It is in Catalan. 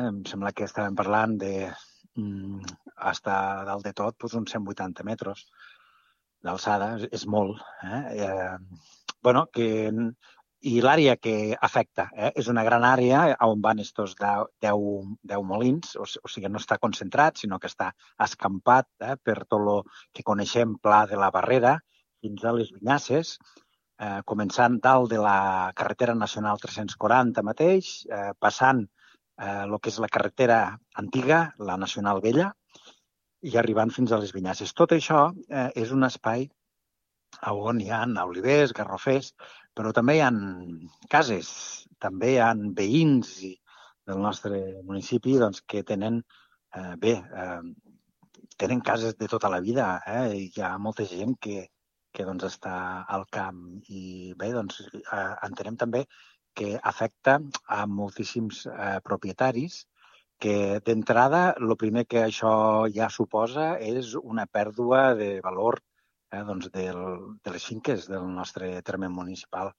Em sembla que estàvem parlant de hasta dalt de tot, doncs uns 180 metres d'alçada, és molt. I l'àrea que afecta és una gran àrea on van estos 10 molins, o sigui, no està concentrat, sinó que està escampat per tot el que coneixem pla de la Barrera fins a les Vinyasses, començant dalt de la carretera nacional 340 mateix, passant el que és la carretera antiga, la nacional vella, i arribant fins a les Vinyasses. Tot això és un espai on hi ha olivers, garrofers, però també hi ha cases, també hi ha veïns del nostre municipi que tenen, tenen cases de tota la vida. Hi ha molta gent que està al camp i bé, entenem també que afecta a moltíssims propietaris que d'entrada el primer que això ja suposa és una pèrdua de valor de les finques del nostre terme municipal.